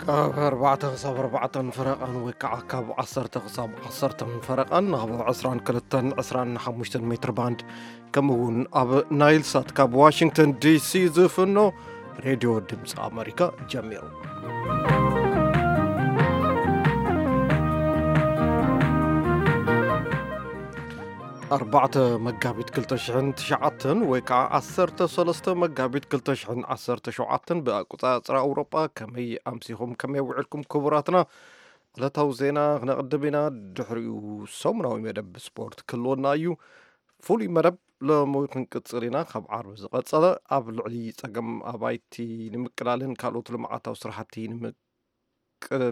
ካብ ኣርባዕተ ክሳብ ኣርባዕተን ፈረቓን ወይ ከዓ ካብ ዓሰርተ ክሳብ ዓሰርተን ፈረቓን ኣብ ዕስራን ክልተን ዕስራን ሓሙሽተን ሜትር ባንድ፣ ከምኡ እውን ኣብ ናይል ሳት ካብ ዋሽንግተን ዲሲ ዝፍኖ ሬድዮ ድምፂ ኣመሪካ ጀሚሩ። ኣርባዕተ መጋቢት ክልተ ሽሕን ትሽዓተን ወይ ከዓ ዓሰርተ ሰለስተ መጋቢት ክልተ ሽሕን ዓሰርተ ሸውዓተን ብኣቆፃፅራ ኣውሮጳ። ከመይ ኣምሲኹም፣ ከመይ ውዕልኩም ክቡራትና? ዕለታዊ ዜና ክነቕድም ኢና። ድሕሪኡ ሰሙናዊ መደብ ስፖርት ክህልወና እዩ። ፍሉይ መደብ ሎሚ ክንቅጽል ኢና። ካብ ዓርቢ ዝቐጸለ ኣብ ልዕሊ ጸገም ኣባይቲ ንምቅላልን ካልኦት ልምዓታዊ ስራሕቲ ንምቅ-፣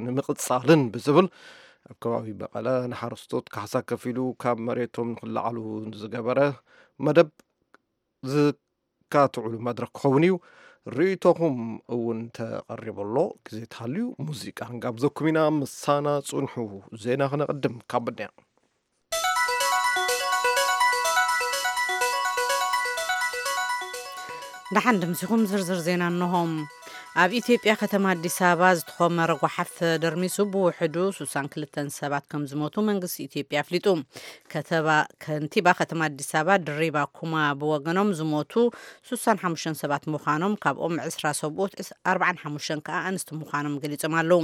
ንምቕጻልን ብዝብል ኣብ ከባቢ መቐለ ንሓረስቶት ካሕሳ ከፊሉ ካብ መሬቶም ንክለዓሉ ዝገበረ መደብ ዝካትዑሉ መድረኽ ክኸውን እዩ። ርእይቶኹም እውን ተቐሪቡ ኣሎ። ግዜ ተሃልዩ ሙዚቃ ክንጋብዘኩም ኢና። ምሳና ጽንሑ። ዜና ክነቕድም ካብ ብድያ። ደሓን ድምሲኹም ዝርዝር ዜና እንሆም። ኣብ ኢትዮጵያ ከተማ ኣዲስ ኣበባ ዝተኾመረ ጓሓፍ ተደርሚሱ ብውሕዱ ስሳን ክልተን ሰባት ከም ዝሞቱ መንግስቲ ኢትዮጵያ ኣፍሊጡ። ከተባ-፣ ከንቲባ ከተማ ኣዲስ ኣበባ ድሪባ ኩማ ብወገኖም ዝሞቱ ስሳን ሓሙሽተን ሰባት ምዃኖም፣ ካብኦም ዕስራ ሰብኡት፣ ዕስ-፣ ኣርባዓን ሓሙሽተን ከኣ ኣንስቲ ምዃኖም ገሊጾም ኣለዉ።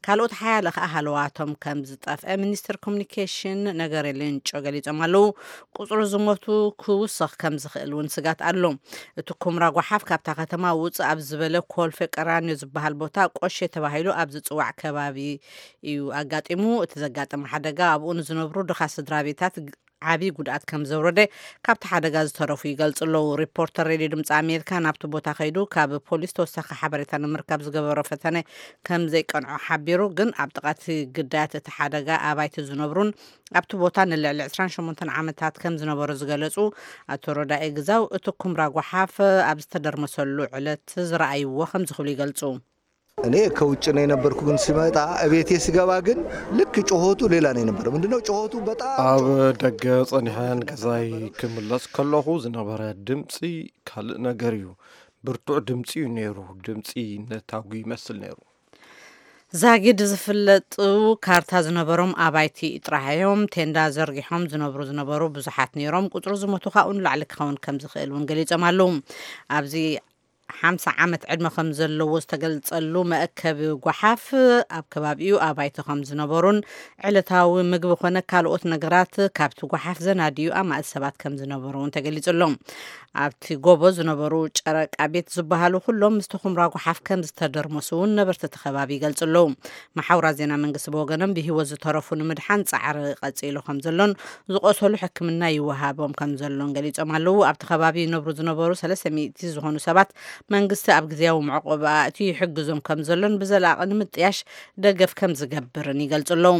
ካልኦት ሓያለ ከኣ ሃለዋቶም ከም ዝጠፍአ ሚኒስትር ኮሙኒኬሽን ነገሪ ሌንጮ ገሊጾም ኣለዉ። ቁጽሪ ዝሞቱ ክውስኽ ከም ዝኽእል እውን ስጋት ኣሎ። እቲ ኩምራ ጓሓፍ ካብታ ከተማ ውጽእ ኣብ ዝበለ ኮልፌ ቀራኒዮ ዝበሃል ቦታ ቆሼ ተባሂሉ ኣብ ዝጽዋዕ ከባቢ እዩ ኣጋጢሙ። እቲ ዘጋጠመ ሓደጋ ኣብኡ ንዝነብሩ ድኻ ስድራ ቤታት ዓቢ ጉድኣት ከም ዘውረደ ካብቲ ሓደጋ ዝተረፉ ይገልጹ ኣለዉ። ሪፖርተር ሬድዮ ድምፂ ኣሜሪካ ናብቲ ቦታ ከይዱ ካብ ፖሊስ ተወሳኺ ሓበሬታ ንምርካብ ዝገበሮ ፈተነ ከም ዘይቀንዖ ሓቢሩ። ግን ኣብ ጥቓ እቲ ግዳያት እቲ ሓደጋ ኣባይቲ ዝነብሩን ኣብቲ ቦታ ንልዕሊ ዕስራን ሸሞንተን ዓመታት ከም ዝነበሩ ዝገለጹ ኣቶ ረዳኢ ግዛው፣ እቲ ኩምራ ጓሓፍ ኣብ ዝተደርመሰሉ ዕለት ዝረኣይዎ ከም ዝኽብሉ ይገልጹ። እኔ ከውጭ ነው የነበርኩ፣ ግን ሲመጣ እቤቴ ሲገባ ግን ልክ ጩኸቱ ሌላ ነው የነበረው። ምንድነው ጩኸቱ? በጣም ኣብ ደገ ጸኒሐን ገዛይ ክምለስ ከለኹ ዝነበረ ድምፂ ካልእ ነገር እዩ። ብርቱዕ ድምፂ እዩ ነይሩ። ድምፂ ነታጒ ይመስል ነይሩ። ዛጊድ ዝፍለጡ ካርታ ዝነበሮም ኣባይቲ ጥራሕ እዮም። ቴንዳ ዘርጊሖም ዝነብሩ ዝነበሩ ብዙሓት ነይሮም። ቁጽሪ ዝሞቱ ካብኡ ንላዕሊ ክኸውን ከም ዝኽእል እውን ገሊጾም ኣለዉ። ኣብዚ ሓምሳ ዓመት ዕድመ ከም ዘለዎ ዝተገልጸሉ መእከቢ ጓሓፍ ኣብ ከባቢኡ ኣባይቲ ከም ዝነበሩን ዕለታዊ ምግቢ ኮነ ካልኦት ነገራት ካብቲ ጓሓፍ ዘናድዩ ኣማእት ሰባት ከም ዝነበሩ እውን ተገሊጹ ኣሎ። ኣብቲ ጎቦ ዝነበሩ ጨረቃ ቤት ዝበሃሉ ኩሎም ምስቲ ኩምራ ጓሓፍ ከም ዝተደርመሱ እውን ነበርቲ እቲ ከባቢ ይገልጹ ኣለዉ። መሓውራት ዜና መንግስቲ ብወገኖም ብህይወት ዝተረፉ ንምድሓን ጻዕሪ ቀጺሉ ከም ዘሎን ዝቆሰሉ ሕክምና ይወሃቦም ከም ዘሎን ገሊጾም ኣለዉ። ኣብቲ ከባቢ ይነብሩ ዝነበሩ ሰለስተ ሚእቲ ዝኾኑ ሰባት መንግስቲ ኣብ ግዝያዊ መዕቆቢ ኣእትዩ ይሕግዞም ከም ዘሎን ብዘላቒ ንምጥያሽ ደገፍ ከም ዝገብርን ይገልጹ ኣለዉ።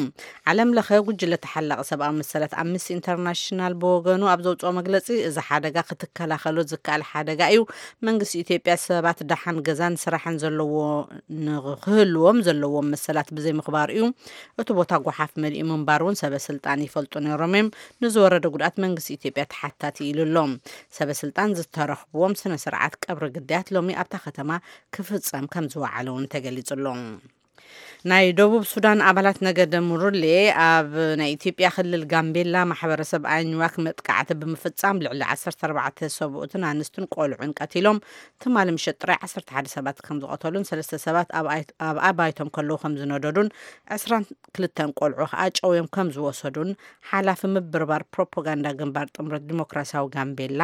ዓለም ለኸ ጉጅለ ተሓላቒ ሰብኣዊ መሰላት ኣምነስቲ ኢንተርናሽናል ብወገኑ ኣብ ዘውፅኦ መግለፂ፣ እዚ ሓደጋ ክትከላኸሎ ዝከኣል ሓደጋ እዩ። መንግስቲ ኢትዮጵያ ሰባት ደሓን ገዛን ስራሕን ዘለዎ፣ ንክህልዎም ዘለዎም መሰላት ብዘይምኽባር እዩ። እቲ ቦታ ጓሓፍ መሊኡ ምንባር እውን ሰበ ስልጣን ይፈልጡ ነይሮም እዮም። ንዝወረደ ጉድኣት መንግስቲ ኢትዮጵያ ተሓታቲ ኢሉ ኣሎ። ሰበ ስልጣን ዝተረኽብዎም ስነ ስርዓት ቀብሪ ግዳያት ሎሚ ኣብታ ከተማ ክፍጸም ከም ዝወዓለ እውን ተገሊጹ ኣሎ። ናይ ደቡብ ሱዳን ኣባላት ነገደ ሙሩሌ ኣብ ናይ ኢትዮጵያ ክልል ጋምቤላ ማሕበረሰብ ኣኝዋክ መጥቃዕቲ ብምፍጻም ልዕሊ ዓሰርተ ኣርባዕተ ሰብኡትን ኣንስትን ቆልዑን ቀቲሎም፣ ትማሊ ምሸት ጥራይ ዓሰርተ ሓደ ሰባት ከም ዝቐተሉን ሰለስተ ሰባት ኣብ ኣይ-፣ ኣብ ኣባይቶም ከለዉ ከም ዝነደዱን ዕስራን ክልተን ቆልዑ ከኣ ጨውዮም ከም ዝወሰዱን ሓላፊ ምብርባር ፕሮፓጋንዳ ግንባር ጥምረት ዲሞክራሲያዊ ጋምቤላ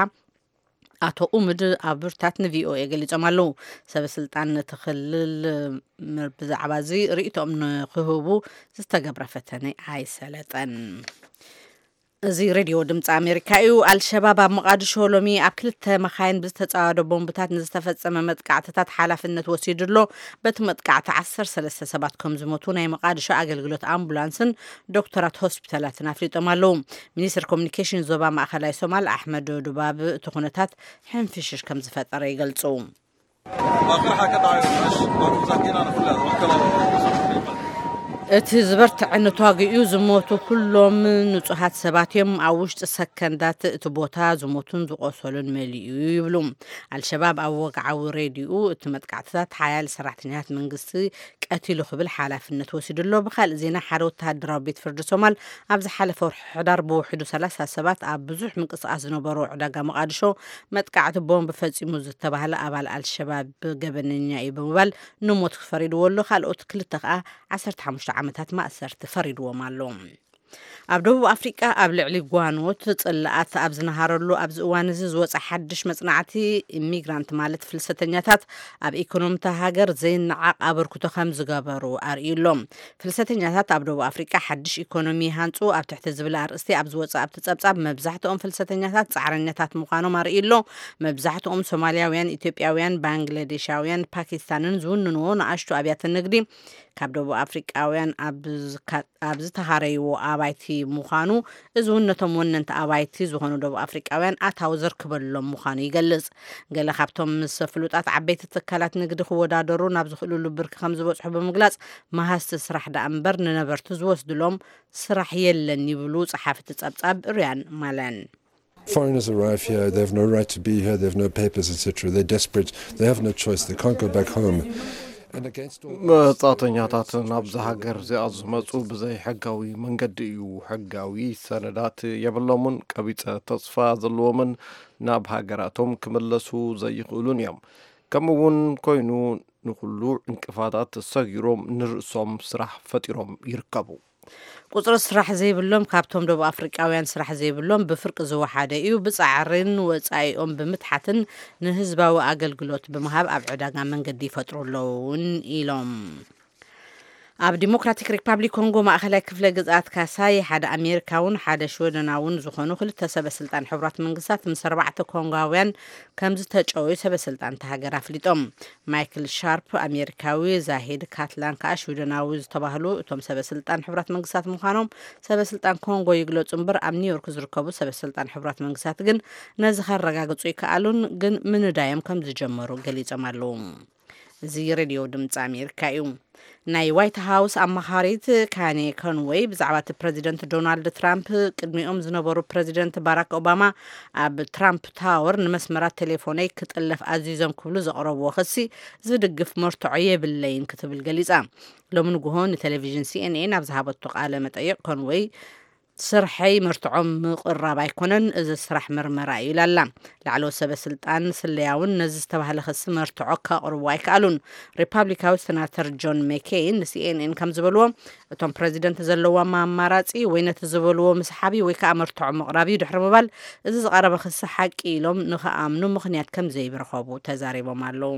ኣቶ ኡምድ ኣቡርታት ንቪኦኤ ገሊጾም ኣለዉ። ሰበ ስልጣን ነቲ ክልል ም-፣ ብዛዕባ እዚ ርእይቶኦም ንክህቡ ዝተገብረ ፈተነ ኣይሰለጠን። እዚ ሬድዮ ድምፂ ኣሜሪካ እዩ። ኣልሸባብ ኣብ መቓድሾ ሎሚ ኣብ ክልተ መኻይን ብዝተፃወደ ቦምብታት ንዝተፈጸመ መጥቃዕትታት ሓላፍነት ወሲዱ ኣሎ። በቲ መጥቃዕቲ ዓሰርተ ሰለስተ ሰባት ከም ዝሞቱ ናይ መቓድሾ ኣገልግሎት ኣምቡላንስን ዶክተራት ሆስፒታላትን ኣፍሊጦም ኣለዉ። ሚኒስትር ኮሙኒኬሽን ዞባ ማእኸላይ ሶማል ኣሕመድ ዱባብ እቲ ኩነታት ሕንፍሽሽ ከም ዝፈጠረ ይገልጹ። እቲ ዝበርትዐ ንተዋጊኡ ዝሞቱ ኩሎም ንጹሃት ሰባት እዮም። ኣብ ውሽጢ ሰከንዳት እቲ ቦታ ዝሞቱን ዝቆሰሉን መሊኡ ይብሉ። ኣልሸባብ ኣብ ወግዓዊ ሬድዮኡ እቲ መጥቃዕትታት ሓያል ሰራሕተኛታት መንግስቲ ቀቲሉ ክብል ሓላፍነት ወሲዱ ኣሎ። ብኻልእ ዜና፣ ሓደ ወተሃደራዊ ቤት ፍርዲ ሶማል ኣብ ዝሓለፈ ወርሒ ሕዳር ብውሕዱ ሰላሳ ሰባት ኣብ ብዙሕ ምንቅስቃስ ዝነበሮ ዕዳጋ መቃድሾ መጥቃዕቲ ቦምብ ፈጺሙ ዝተባህለ ኣባል ኣልሸባብ ገበነኛ እዩ ብምባል ንሞት ፈሪድዎ ኣሎ። ካልኦት ክልተ ከኣ ዓሰርተ ሓሙሽተ ዓመታት ማእሰርቲ ፈሪድዎም ኣሎ። ኣብ ደቡብ ኣፍሪቃ ኣብ ልዕሊ ጓኖት ጽላኣት ኣብ ዝነሃረሉ ኣብዚ እዋን እዚ ዝወጸ ሓድሽ መጽናዕቲ፣ ኢሚግራንት ማለት ፍልሰተኛታት ኣብ ኢኮኖሚ እታ ሃገር ዘይነዓቕ ኣበርክቶ ከም ዝገበሩ ኣርእዩ ኣሎ። ፍልሰተኛታት ኣብ ደቡብ ኣፍሪቃ ሓድሽ ኢኮኖሚ ይሃንጹ ኣብ ትሕቲ ዝብል ኣርእስቲ ኣብ ዝወጸ ኣብቲ ጸብጻብ፣ መብዛሕትኦም ፍልሰተኛታት ጻዕረኛታት ምዃኖም ኣርእዩ ኣሎ። መብዛሕትኦም ሶማልያውያን፣ ኢትዮጵያውያን፣ ባንግላዴሻውያን፣ ፓኪስታንን ዝውንንዎ ንኣሽቱ ኣብያተ ንግዲ ካብ ደቡብ ኣፍሪቃውያን ኣብ ዝካ-፣ ኣብ ዝተሃረይዎ ኣባይቲ ምዃኑ፣ እዚ እውን ነቶም ወነንቲ ኣባይቲ ዝኾኑ ደቡብ ኣፍሪቃውያን ኣታዊ ዘርክበሎም ምዃኑ ይገልጽ። ገለ ካብቶም ምስ ፍሉጣት ዓበይቲ ትካላት ንግዲ ክወዳደሩ ናብ ዝኽእልሉ ብርኪ ከም ዝበጽሑ ብምግላጽ፣ መሃዝቲ ስራሕ ደኣ እምበር ንነበርቲ ዝወስድሎም ስራሕ የለን ይብሉ ጸሓፊ እቲ ጸብጻብ ሪያን ማለን። Foreigners arrive here, they have no right to be here, they have no papers, et cetera. They're desperate, they have no choice, they can't go back home. And against all this, መጻተኛታት ናብዚ ሃገር እዚኣ ዝመጹ ብዘይ ሕጋዊ መንገዲ እዩ። ሕጋዊ ሰነዳት የብሎምን፣ ቀቢጸ ተስፋ ዘለዎምን ናብ ሃገራቶም ክምለሱ ዘይኽእሉን እዮም። ከምኡ እውን ኮይኑ ንኹሉ ዕንቅፋታት ሰጊሮም ንርእሶም ስራሕ ፈጢሮም ይርከቡ። ቁጽሪ ስራሕ ዘይብሎም፣ ካብቶም ደቡብ ኣፍሪቃውያን ስራሕ ዘይብሎም ብፍርቂ ዝወሓደ እዩ። ብጻዕርን ወጻኢኦም ብምትሓትን ንህዝባዊ ኣገልግሎት ብምሃብ ኣብ ዕዳጋ መንገዲ ይፈጥሩ ኣለዉ እውን ኢሎም። ኣብ ዲሞክራቲክ ሪፓብሊክ ኮንጎ ማእኸላይ ክፍለ ግዝኣት ካሳይ ሓደ ኣሜሪካውን ሓደ ሽወደናውን ዝኾኑ ክልተ ሰበ ስልጣን ሕቡራት መንግስታት ምስ ኣርባዕተ ኮንጓውያን ከም ዝተጨወዩ ሰበ ስልጣን እታ ሃገር ኣፍሊጦም። ማይክል ሻርፕ ኣሜሪካዊ፣ ዛሂድ ካትላን ከኣ ሽወደናዊ ዝተባህሉ እቶም ሰበ ስልጣን ሕቡራት መንግስታት ምዃኖም ሰበ ስልጣን ኮንጎ ይግለጹ እምበር፣ ኣብ ኒውዮርክ ዝርከቡ ሰበ ስልጣን ሕቡራት መንግስታት ግን ነዚ ከረጋግጹ ይከኣሉን፣ ግን ምንዳዮም ከም ዝጀመሩ ገሊጾም ኣለዉ። እዚ ሬድዮ ድምፂ ኣሜሪካ እዩ። ናይ ዋይት ሃውስ ኣማኻሪት ካኔ ኮንወይ ብዛዕባ እቲ ፕረዚደንት ዶናልድ ትራምፕ ቅድሚኦም ዝነበሩ ፕረዚደንት ባራክ ኦባማ ኣብ ትራምፕ ታወር ንመስመራት ቴሌፎነይ ክጥለፍ ኣዚዞም ክብሉ ዘቕረብዎ ክሲ ዝድግፍ መርትዖ የብለይን ክትብል ገሊጻ። ሎሚ ንግሆ ንቴሌቪዥን ሲኤንኤን ኣብ ዝሃበቶ ቃለ መጠይቕ ኮንወይ፣ ስርሐይ መርትዖ ምቕራብ ኣይኮነን፣ እዚ ስራሕ ምርመራ እዩ ኢላ ኣላ። ላዕለዎት ሰበ ስልጣን ስለያ እውን ነዚ ዝተባህለ ክሲ መርትዖ ከቕርቡ ኣይከኣሉን። ሪፓብሊካዊ ሰናተር ጆን ሜኬይን ንሲኤንኤን ከም ዝበልዎ፣ እቶም ፕረዚደንት ዘለዎም ኣማራጺ ወይ ነቲ ዝበልዎ ምስሓብ ወይ ከዓ መርትዖ ምቕራብ እዩ ድሕሪ ምባል፣ እዚ ዝቐረበ ክሲ ሓቂ ኢሎም ንኽኣምኑ ምኽንያት ከም ዘይብረኸቡ ተዛሪቦም ኣለዉ።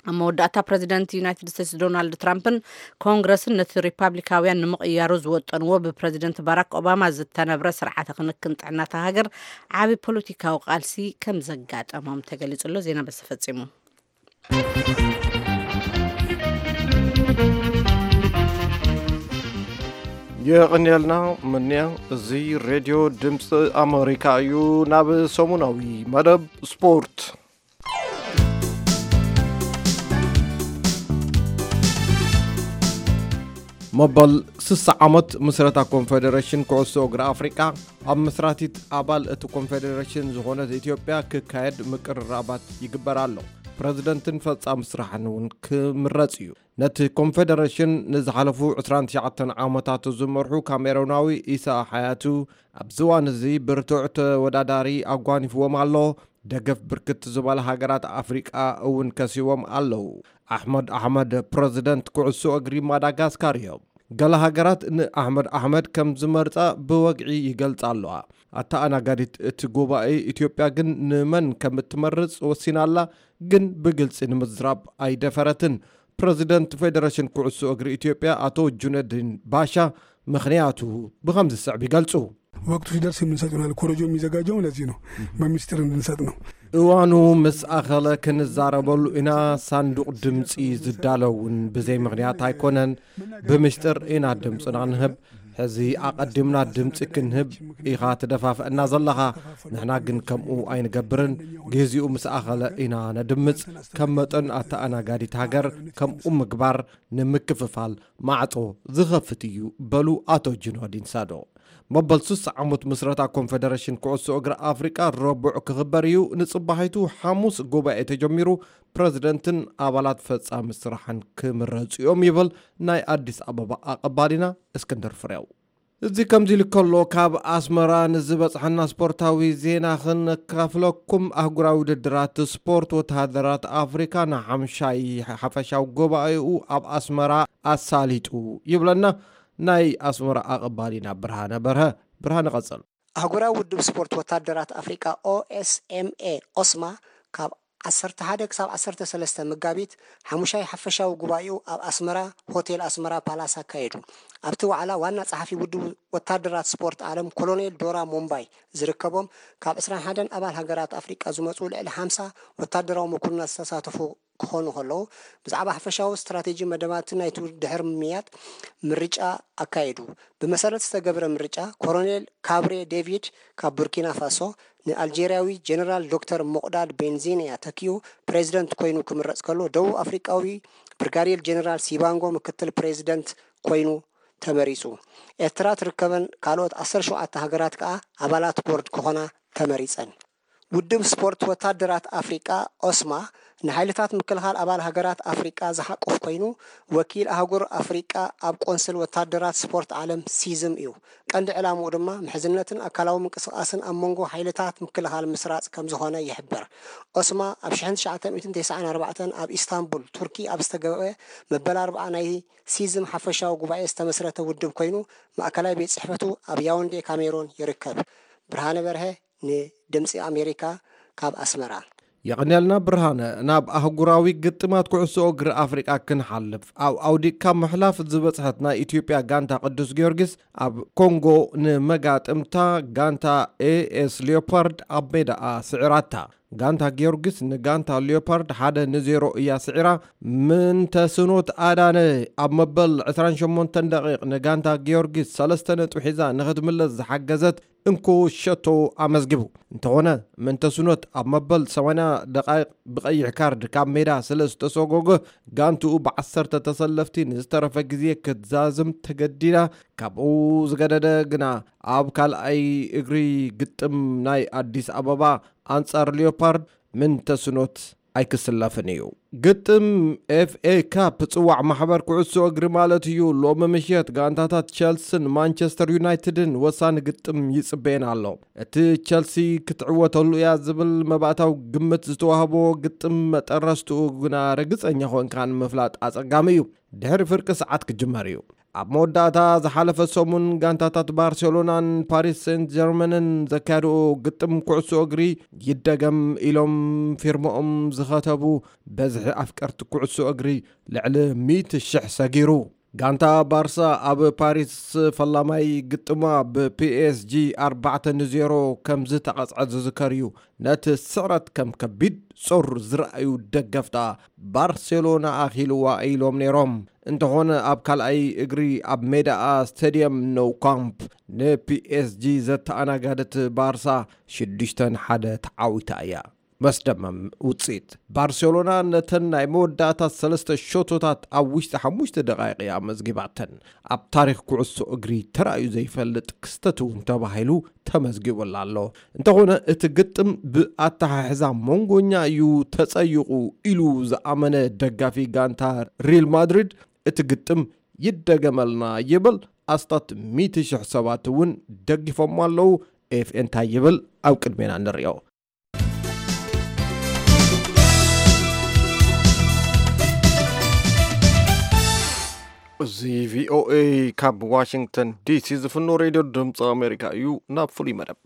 ኣብ መወዳእታ ፕረዚደንት ዩናይትድ ስቴትስ ዶናልድ ትራምፕን ኮንግረስን ነቲ ሪፓብሊካውያን ንምቕያሩ ዝወጠንዎ ብፕረዚደንት ባራክ ኦባማ ዝተነብረ ስርዓተ ክንክን ጥዕናታ ሃገር ዓቢ ፖለቲካዊ ቃልሲ ከም ዘጋጠሞም ተገሊጹ ኣሎ። ዜና በዚ ፈጺሙ። የቐንየልና ምንያ። እዚ ሬድዮ ድምፂ ኣመሪካ እዩ። ናብ ሰሙናዊ መደብ ስፖርት። መበል ስሳ ዓመት ምስረታ ኮንፌደሬሽን ኩዕሶ እግሪ ኣፍሪቃ፣ ኣብ መስራቲት ኣባል እቲ ኮንፌደሬሽን ዝኾነት ኢትዮጵያ ክካየድ ምቅርራባት ይግበር ኣሎ። ፕረዚደንትን ፈጻሚ ስራሕን እውን ክምረጽ እዩ። ነቲ ኮንፌደሬሽን ንዝሓለፉ ዕስራን ትሽዓተን ዓመታት ዝመርሑ ካሜሮናዊ ኢሳ ሓያቱ፣ ኣብዚ እዋን እዚ ብርቱዕ ተወዳዳሪ ኣጓኒፍዎም ኣሎ። ደገፍ ብርክት ዝበላ ሃገራት ኣፍሪቃ እውን ከሲቦም ኣለዉ። ኣሕመድ ኣሕመድ ፕረዚደንት ኩዕሶ እግሪ ማዳጋስካር እዮም። ገለ ሃገራት ንኣሕመድ ኣሕመድ ከም ዝመርጻ ብወግዒ ይገልጻ ኣለዋ። ኣተኣናጋዲት እቲ ጉባኤ ኢትዮጵያ ግን ንመን ከም እትመርጽ ወሲና ኣላ፣ ግን ብግልጺ ንምዝራብ ኣይደፈረትን። ፕረዚደንት ፌደሬሽን ኩዕሶ እግሪ ኢትዮጵያ ኣቶ ጁነዲን ባሻ ምኽንያቱ ብኸምዚ ዝስዕብ ይገልጹ። ወቅቱ ሲደርስ የምንሰጥ ይሆናል። ኮረጆ የሚዘጋጀው ለዚህ ነው፣ በሚስጥር እንድንሰጥ ነው። እዋኑ ምስ ኣኸለ ክንዛረበሉ ኢና። ሳንዱቕ ድምፂ ዝዳለውን ብዘይ ምኽንያት ኣይኮነን፣ ብምስጢር ኢና ድምፅና ንህብ። ሕዚ ኣቐዲምና ድምፂ ክንህብ ኢኻ ትደፋፍአና ዘለኻ። ንሕና ግን ከምኡ ኣይንገብርን። ግዜኡ ምስ ኣኸለ ኢና ነድምፅ። ከም መጠን ኣተኣናጋዲት ሃገር ከምኡ ምግባር ንምክፍፋል ማዕጾ ዝኸፍት እዩ በሉ ኣቶ ጅኖዲን ሳዶ። መበል ሱሳ ዓመት ምስረታ ኮንፈደሬሽን ኩዕሶ እግሪ ኣፍሪቃ ረቡዕ ክኽበር እዩ። ንጽባሒቱ ሓሙስ ጉባኤ ተጀሚሩ፣ ፕረዚደንትን ኣባላት ፈጻሚ ስራሕን ክምረጹ እዮም ይብል ናይ ኣዲስ ኣበባ ኣቐባሊና እስክንድር ፍሬው። እዚ ከምዚ ኢሉ ከሎ፣ ካብ ኣስመራ ንዝበጽሐና ስፖርታዊ ዜና ክነካፍለኩም። ኣህጉራዊ ውድድራት ስፖርት ወተሃደራት ኣፍሪካ ንሓምሻይ ሓፈሻዊ ጉባኤኡ ኣብ ኣስመራ ኣሳሊጡ ይብለና ናይ ኣስመራ ኣቐባሊና ብርሃነ በርሀ። ብርሃነ ቀጽል። ኣህጉራዊ ውድብ ስፖርት ወታደራት ኣፍሪቃ ኦኤስኤምኤ ኦስማ ካብ ዓሰርተ ሓደ ክሳብ ዓሰርተ ሰለስተ መጋቢት ሓሙሻይ ሓፈሻዊ ጉባኤኡ ኣብ ኣስመራ ሆቴል ኣስመራ ፓላስ ኣካየዱ። ኣብቲ ዋዕላ ዋና ጸሓፊ ውድብ ወታደራት ስፖርት ዓለም ኮሎኔል ዶራ ሞምባይ ዝርከቦም ካብ ዕስራን ሓደን ኣባል ሃገራት ኣፍሪቃ ዝመጹ ልዕሊ ሓምሳ ወታደራዊ መኮንናት ዝተሳተፉ ክኾኑ ከለዉ፣ ብዛዕባ ሓፈሻዊ ስትራቴጂ መደባትን ናይቲ ድሕሪ ምምያጥ ምርጫ ኣካየዱ። ብመሰረት ዝተገብረ ምርጫ፣ ኮሎኔል ካብሬ ዴቪድ ካብ ቡርኪና ፋሶ ንኣልጄርያዊ ጀነራል ዶክተር ሞቅዳድ ቤንዚንያ ተኪኡ ፕሬዚደንት ኮይኑ ክምረጽ ከሎ፣ ደቡብ ኣፍሪቃዊ ብርጋዴር ጀነራል ሲባንጎ ምክትል ፕሬዚደንት ኮይኑ ተመሪጹ። ኤርትራ ትርከበን ካልኦት ዓሰርተ ሸውዓተ ሃገራት ከኣ ኣባላት ቦርድ ክኾና ተመሪጸን። ውድብ ስፖርት ወታደራት ኣፍሪቃ ኦስማ ንሓይልታት ምክልኻል ኣባል ሃገራት ኣፍሪቃ ዝሓቁፍ ኮይኑ፣ ወኪል ኣህጉር ኣፍሪቃ ኣብ ቆንስል ወታደራት ስፖርት ዓለም ሲዝም እዩ። ቀንዲ ዕላምኡ ድማ ምሕዝነትን ኣካላዊ ምንቅስቓስን ኣብ መንጎ ሓይልታት ምክልኻል ምስራጽ ከም ዝኾነ ይሕበር። ኦስማ ኣብ ሽሕን ትሽዓተ ሚእትን ተስዓን ኣርባዕተን ኣብ ኢስታንቡል ቱርኪ ኣብ ዝተገበረ መበል ኣርብዓ ናይ ሲዝም ሓፈሻዊ ጉባኤ ዝተመስረተ ውድብ ኮይኑ፣ ማእከላይ ቤት ጽሕፈቱ ኣብ ያውንዴ ካሜሮን ይርከብ። ብርሃነ በርሀ ንድምፂ ኣሜሪካ ካብ ኣስመራ። የቐንየልና ብርሃነ። ናብ ኣህጉራዊ ግጥማት ኩዕሶ እግሪ ኣፍሪቃ ክንሓልፍ፣ ኣብ ኣውዲቕካ ምሕላፍ ዝበጽሐት ናይ ኢትዮጵያ ጋንታ ቅዱስ ጊዮርጊስ ኣብ ኮንጎ ንመጋጥምታ ጋንታ ኤኤስ ሊዮፓርድ ኣብ ሜዳኣ ስዒራታ። ጋንታ ጊዮርጊስ ንጋንታ ሊዮፓርድ ሓደ ንዜሮ እያ ስዒራ። ምንተስኖት ኣዳነ ኣብ መበል ዕስራን ሸሞንተን ደቂቕ ንጋንታ ጊዮርጊስ ሰለስተ ነጥቢ ሒዛ ንኽትምለስ ዝሓገዘት እንኮ ሸቶ ኣመዝጊቡ። እንተኾነ፣ ምንተስኖት ኣብ መበል ሰማንያ ደቓይቕ ብቐይሕ ካርድ ካብ ሜዳ ስለ ዝተሰጎገ፣ ጋንትኡ ብዓሰርተ ተሰለፍቲ ንዝተረፈ ግዜ ክትዛዝም ተገዲዳ። ካብኡ ዝገደደ ግና፣ ኣብ ካልኣይ እግሪ ግጥም ናይ ኣዲስ ኣበባ ኣንጻር ሊዮፓርድ ምንተስኖት ኣይክስለፍን እዩ። ግጥም ኤፍኤ ካፕ ጽዋዕ ማሕበር ኩዕሶ እግሪ ማለት እዩ። ሎሚ ምሽት ጋንታታት ቸልስን ማንቸስተር ዩናይትድን ወሳኒ ግጥም ይጽበየን ኣሎ። እቲ ቸልሲ ክትዕወተሉ እያ ዝብል መባእታዊ ግምት ዝተዋህቦ ግጥም መጠረስትኡ ግና ርግጸኛ ኮንካ ንምፍላጥ ኣጸጋሚ እዩ። ድሕሪ ፍርቂ ሰዓት ክጅመር እዩ። ኣብ መወዳእታ ዝሓለፈ ሰሙን ጋንታታት ባርሴሎናን ፓሪስ ሴንት ጀርመንን ዘካየድኦ ግጥም ኩዕሶ እግሪ ይደገም ኢሎም ፊርማኦም ዝኸተቡ በዝሒ ኣፍቀርቲ ኩዕሶ እግሪ ልዕሊ ሚእቲ ሽሕ ሰጊሩ። ጋንታ ባርሳ ኣብ ፓሪስ ፈላማይ ግጥማ ብፒኤስጂ ኣርባዕተ ንዜሮ ከም ዝተቐጽዐ ዝዝከር እዩ። ነቲ ስዕረት ከም ከቢድ ጾር ዝረኣዩ ደገፍታ ባርሴሎና ኣኺልዋ ኢሎም ነይሮም። እንተኾነ ኣብ ካልኣይ እግሪ ኣብ ሜዳኣ ስቴድየም ኖው ካምፕ ንፒኤስጂ ዘተኣናጋደት ባርሳ ሽዱሽተ ንሓደ ተዓዊታ እያ። መስደመም ውጽኢት። ባርሴሎና ነተን ናይ መወዳእታ ሰለስተ ሸቶታት ኣብ ውሽጢ ሓሙሽተ ደቓይቕ እያ ኣመዝጊባተን። ኣብ ታሪኽ ኩዕሶ እግሪ ተራእዩ ዘይፈልጥ ክስተት እውን ተባሂሉ ተመዝጊቡላ ኣሎ። እንተኾነ እቲ ግጥም ብኣተሓሕዛ መንጎኛ እዩ ተጸይቑ ኢሉ ዝኣመነ ደጋፊ ጋንታ ሪል ማድሪድ እቲ ግጥም ይደገመልና ይብል። ኣስታት ሚእቲ ሽሕ ሰባት እውን ደጊፎሞ ኣለዉ። ኤፍኤ እንታይ ይብል? ኣብ ቅድሜና ንሪኦ። እዚ ቪኦኤ ካብ ዋሽንግተን ዲሲ ዝፍኖ ሬድዮ ድምፂ ኣሜሪካ እዩ። ናብ ፍሉይ መደብ።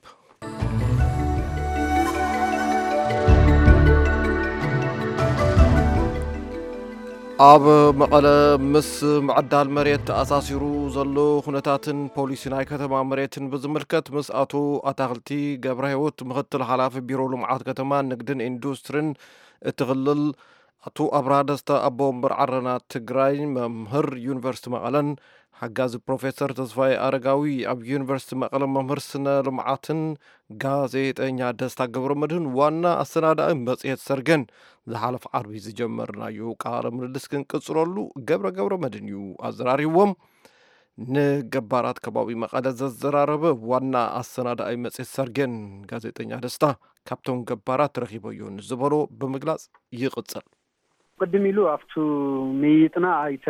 ኣብ መቐለ ምስ ምዕዳል መሬት ተኣሳሲሩ ዘሎ ኩነታትን ፖሊሲ ናይ ከተማ መሬትን ብዝምልከት ምስ ኣቶ ኣታኽልቲ ገብረ ህይወት ምክትል ሓላፊ ቢሮ ልምዓት ከተማ ንግድን ኢንዱስትሪን እቲ ክልል ኣቶ ኣብርሃ ደስታ ኣቦ ወንበር ዓረና ትግራይ መምህር ዩኒቨርሲቲ መቐለን ሓጋዚ ፕሮፌሰር ተስፋይ ኣረጋዊ ኣብ ዩኒቨርሲቲ መቐለ መምህር ስነ ልምዓትን ጋዜጠኛ ደስታ ገብረ መድህን ዋና ኣሰናዳኢ መጽሔት ሰርገን ዝሓለፈ ዓርቢ ዝጀመርናዮ ቃለ ምልልስ ክንቅጽለሉ ገብረ ገብረ መድህን እዩ ኣዘራሪዎም። ንገባራት ከባቢ መቐለ ዘዘራረበ ዋና ኣሰናዳኢ መጽሔት ሰርገን ጋዜጠኛ ደስታ ካብቶም ገባራት ረኺበዮ ንዝበሎ ብምግላጽ ይቕጽል። ቅድም ኢሉ ኣብቱ ምይይጥና ኣይተ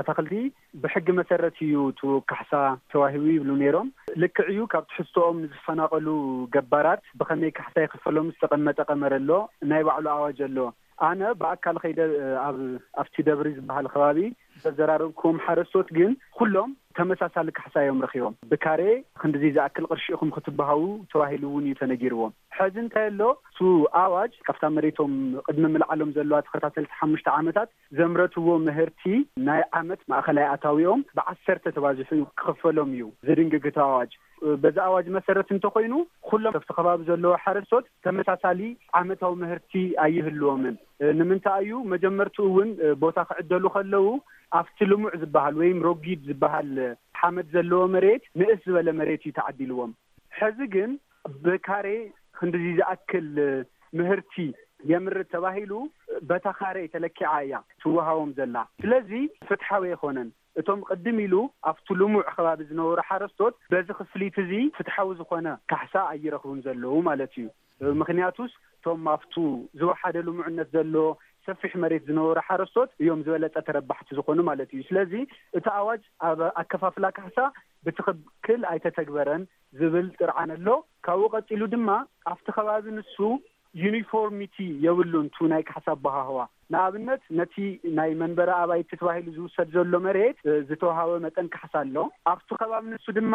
ኣታኽልቲ ብሕጊ መሰረት እዩ እቲ ካሕሳ ተዋሂቡ ይብሉ ነይሮም። ልክዕ እዩ፣ ካብ ትሕዝቶኦም ንዝፈናቐሉ ገባራት ብኸመይ ካሕሳ ይኽፈሎም ዝተቐመጠ ቀመር ኣሎ፣ ናይ ባዕሉ ኣዋጅ ኣሎ። ኣነ ብኣካል ኸይደ ኣብ ኣብቲ ደብሪ ዝበሃል ከባቢ ዘዘራረብኩም ሓረስቶት ግን ኩሎም ተመሳሳሊ ካሕሳ እዮም ረኺቦም። ብካሬ ክንድዚ ዝኣክል ቅርሺ ኢኹም ክትበሃው ተባሂሉ እውን እዩ ተነጊርዎም። ሕዚ እንታይ ኣሎ? እሱ ኣዋጅ ካብታ መሬቶም ቅድሚ ምልዓሎም ዘለዋ ተኸታተልቲ ሓሙሽተ ዓመታት ዘምረትዎ ምህርቲ ናይ ዓመት ማእኸላይ ኣታዊኦም ብዓሰርተ ተባዚሑ ክኽፈሎም እዩ ዝድንግግ እቲ ኣዋጅ። በዚ ኣዋጅ መሰረት እንተኾይኑ ኩሎም ኣብቲ ከባቢ ዘለዉ ሓረስቶት ተመሳሳሊ ዓመታዊ ምህርቲ ኣይህልዎምን። ንምንታይ እዩ? መጀመርትኡ እውን ቦታ ክዕደሉ ከለዉ ኣብቲ ልሙዕ ዝበሃል ወይም ሮጊድ ዝበሃል ሓመድ ዘለዎ መሬት ንእስ ዝበለ መሬት እዩ ተዓዲልዎም። ሕዚ ግን ብካሬ ክንድዚ ዝኣክል ምህርቲ የምርት ተባሂሉ በታ ካሬ ተለኪዓ እያ ትወሃቦም ዘላ። ስለዚ ፍትሓዊ ኣይኮነን። እቶም ቅድም ኢሉ ኣብቲ ልሙዕ ከባቢ ዝነበሩ ሓረስቶት በዚ ክፍሊት እዚ ፍትሓዊ ዝኾነ ካሕሳ ኣይረኽቡን ዘለዉ ማለት እዩ። ምኽንያቱስ እቶም ኣብቱ ዝወሓደ ልሙዕነት ዘሎ ሰፊሕ መሬት ዝነበሩ ሓረስቶት እዮም ዝበለጸ ተረባሕቲ ዝኾኑ ማለት እዩ። ስለዚ እቲ ኣዋጅ ኣብ ኣከፋፍላ ካሕሳ ብትኽክል ኣይተተግበረን ዝብል ጥርዓን ኣሎ። ካብኡ ቀጺሉ ድማ ኣብቲ ከባቢ ንሱ ዩኒፎርሚቲ የብሉን። ቱ ናይ ካሕሳ ኣበሃህዋ ንኣብነት ነቲ ናይ መንበሪ ኣባይቲ ተባሂሉ ዝውሰድ ዘሎ መሬት ዝተዋሃበ መጠን ካሕሳ ኣሎ። ኣብቲ ከባቢ ንሱ ድማ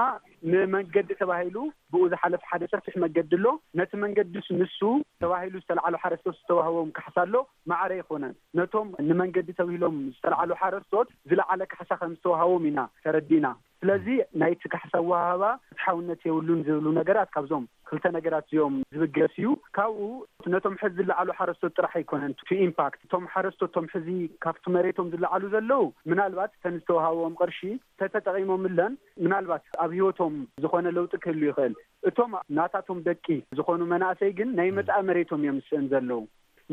ንመንገዲ ተባሂሉ ብኡ ዝሓለፍ ሓደ ሰፊሕ መገዲ ኣሎ። ነቲ መንገዲ ንሱ ተባሂሉ ዝተለዓሉ ሓረስቶት ዝተዋህቦም ካሕሳ ኣሎ። ማዕረ ኣይኮነን። ነቶም ንመንገዲ ተብሂሎም ዝተለዓሉ ሓረስቶት ዝለዓለ ካሕሳ ከም ዝተዋሃቦም ኢና ተረዲእና። ስለዚ ናይቲ ካሕሳ ኣወሃህባ ፍትሓውነት የብሉን ዝብሉ ነገራት ካብዞም ክልተ ነገራት እዚኦም ዝብገስ እዩ። ካብኡ ነቶም ሕዚ ዝለዓሉ ሓረስቶት ጥራሕ ኣይኮነን ቱ ኢምፓክት። እቶም ሓረስቶት እቶም ሕዚ ካብቲ መሬቶም ዝለዓሉ ዘለዉ ምናልባት እተን ዝተዋሃቦም ቅርሺ ተተጠቒሞምለን ምናልባት ኣብ ህይወቶም ዝኾነ ለውጢ ክህሉ ይኽእል። እቶም ናታቶም ደቂ ዝኾኑ መናእሰይ ግን ናይ መጻኢ መሬቶም እዮም ዝስእን ዘለዉ።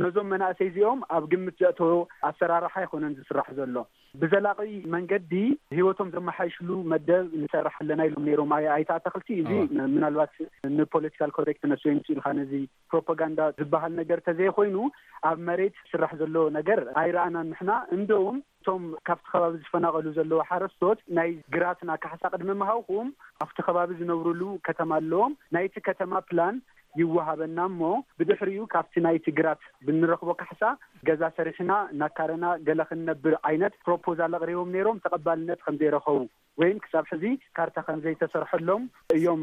ነዞም መናእሰይ እዚኦም ኣብ ግምት ዘእተዎ ኣሰራርሓ ኣይኮነን ዝስራሕ ዘሎ። ብዘላቒ መንገዲ ህይወቶም ዘመሓይሽሉ መደብ ንሰርሕ ኣለና ኢሎም ነይሮም ኣይ- ኣይተ ኣታኽልቲ። እዚ ምናልባት ንፖለቲካል ኮሬክትነስ ወይ ምስ ኢልካ ነዚ ፕሮፓጋንዳ ዝበሃል ነገር ተዘይኮይኑ ኣብ መሬት ዝስራሕ ዘሎ ነገር ኣይረኣናን ንሕና። እንደውም እቶም ካብቲ ከባቢ ዝፈናቐሉ ዘለዉ ሓረስቶት ናይ ግራትና ካሕሳ ቅድሚ ምሃብኩም ኣብቲ ከባቢ ዝነብሩሉ ከተማ ኣለዎም። ናይቲ ከተማ ፕላን ይወሃበና እሞ ብድሕሪኡ ካብቲ ናይቲ ግራት ብንረኽቦ ካሕሳ ገዛ ሰሪሕና እናካረና ገለ ክንነብር ዓይነት ፕሮፖዛል ኣቕሪቦም ነይሮም። ተቐባልነት ከም ዘይረኸቡ ወይም ክሳብ ሕዚ ካርታ ከም ዘይተሰርሐሎም እዮም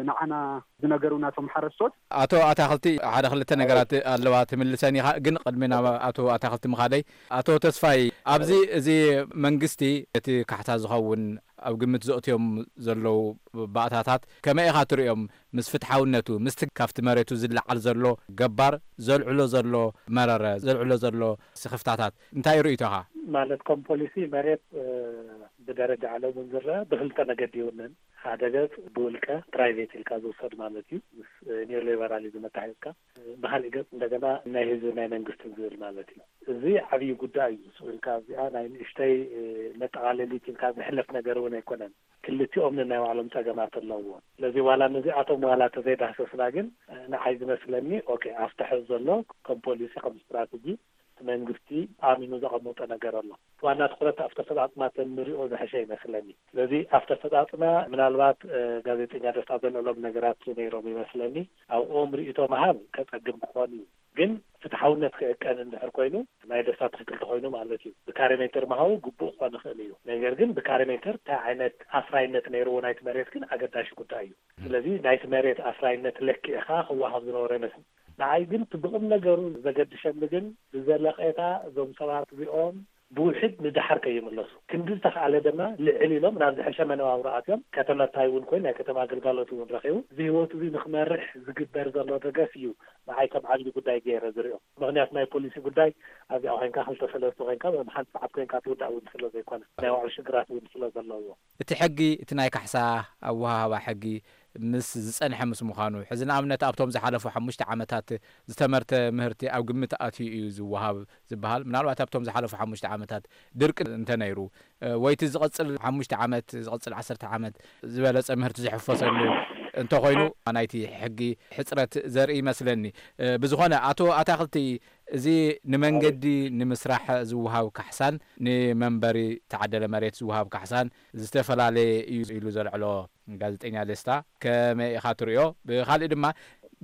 ንዓና ዝነገሩና እቶም ሓረስቶት። ኣቶ ኣታኽልቲ፣ ሓደ ክልተ ነገራት ኣለዋ ትምልሰን ኢኻ፣ ግን ቅድሚ ናብ ኣቶ ኣታኽልቲ ምኻደይ፣ ኣቶ ተስፋይ፣ ኣብዚ እዚ መንግስቲ እቲ ካሕሳ ዝኸውን ኣብ ግምት ዘእትዮም ዘለዉ ባእታታት ከመይ ኢኻ ትርእዮም? ምስ ፍትሓውነቱ፣ ምስቲ ካብቲ መሬቱ ዝለዓል ዘሎ ገባር ዘልዕሎ ዘሎ መረረ፣ ዘልዕሎ ዘሎ ስኽፍታታት እንታይ ርእይቶኻ? ማለት ከም ፖሊሲ መሬት ብደረጃ ዓለም እውን ዝረአ ብክልተ መገዲ ይውነን። ሓደ ገፅ ብውልቀ ፕራይቬት ኢልካ ዝውሰድ ማለት እዩ፣ ምስ ኒዮሊበራሊዝም ኣተሓሒዝካ። ብካሊእ ገፅ እንደገና ናይ ህዝቢ ናይ መንግስትን ዝብል ማለት እዩ። እዚ ዓብዪ ጉዳይ እዩ። ስቕ ኢልካ እዚኣ ናይ ንእሽተይ መጠቓለሊት ኢልካ ዝሕለፍ ነገር እውን ኣይኮነን። ክልቲኦም ነናይ ባዕሎም ጸገማት ኣለዎም። ስለዚ ዋላ ነዚኣቶም ዋላ ተዘይዳህሰስና ግን ንዓይ ዝመስለኒ ኦኬ ኣብቲ ሕዚ ዘሎ ከም ፖሊሲ ከም ስትራተጂ እቲ መንግስቲ ኣሚኑ ዘቐመጦ ነገር ኣሎ። ዋና ትኹረት ኣብቲ ኣፈጻጽማ ተንሪኦ ዝሕሸ ይመስለኒ። ስለዚ ኣብቲ ኣፈጻጽማ ምናልባት ጋዜጠኛ ደስታ ዘልዕሎም ነገራት ነይሮም ይመስለኒ። ኣብኦም ርእይቶ ምሃብ ከጸግም ክኾን እዩ። ግን ፍትሓውነት ክእቀን እንድሕር ኮይኑ ናይ ደስታ ትክክል ተኮይኑ ማለት እዩ። ብካሬ ሜትር ምሃቡ ግቡእ ክኾን ይኽእል እዩ። ነገር ግን ብካሬ ሜትር እንታይ ዓይነት ኣስራይነት ነይርዎ ናይቲ መሬት ግን ኣገዳሺ ጉዳይ እዩ። ስለዚ ናይቲ መሬት ኣስራይነት ለኪዕኻ ክወሃብ ዝነበሮ ይመስል። ንዓይ ግን እቲ ብቁም ነገሩ ዘገድሸኒ ግን ብዘለቄታ እዞም ሰባት እዚኦም ብውሕድ ንደሓር ከይምለሱ፣ ክንዲ ዝተኽኣለ ድማ ልዕል ኢሎም ናብ ዝሐሸ መነባብሮ ኣትዮም፣ ከተመታይ እውን ኮይኑ ናይ ከተማ ኣገልጋሎት እውን ረኺቡ፣ እዚ ህይወት እዚ ንክመርሕ ዝግበር ዘሎ ደገፍ እዩ ንዓይ ከም ዓብዪ ጉዳይ ገይረ ዝሪኦ። ምክንያቱ ናይ ፖሊሲ ጉዳይ ኣብዚኣ ኮይንካ ክልተ ሰለስተ ኮይንካ ወይም ሓንቲ ሰዓት ኮይንካ ትውዳእ እውን ስለ ዘይኮነ፣ ናይ ባዕሉ ሽግራት እውን ስለ ዘለዎ። እቲ ሕጊ፣ እቲ ናይ ካሕሳ ኣወሃህባ ሕጊ ምስ ዝጸንሐ ምስ ምዃኑ፣ ሕዚ ንኣብነት ኣብቶም ዝሓለፉ ሓሙሽተ ዓመታት ዝተመርተ ምህርቲ ኣብ ግምት ኣትዩ እዩ ዝወሃብ ዝበሃል። ምናልባት ኣብቶም ዝሓለፉ ሓሙሽተ ዓመታት ድርቂ እንተነይሩ፣ እ፣ ወይ እቲ ዝቐጽል ሓሙሽተ ዓመት፣ ዝቐጽል ዓሰርተ ዓመት ዝበለጸ ምህርቲ ዝሕፈሰሉ እንተኾይኑ፣ ናይቲ ሕጊ ሕጽረት ዘርኢ ይመስለኒ። እ፣ ብዝኾነ፣ ኣቶ ኣታኽልቲ፣ እዚ ንመንገዲ ንምስራሕ ዝወሃብ ካሕሳን ንመንበሪ ተዓደለ መሬት ዝወሃብ ካሕሳን ዝተፈላለየ እዩ ኢሉ ዘልዕሎ ጋዜጠኛ ደስታ፣ ከመይ ኢኻ ትርእዮ? ብኻልእ ድማ፣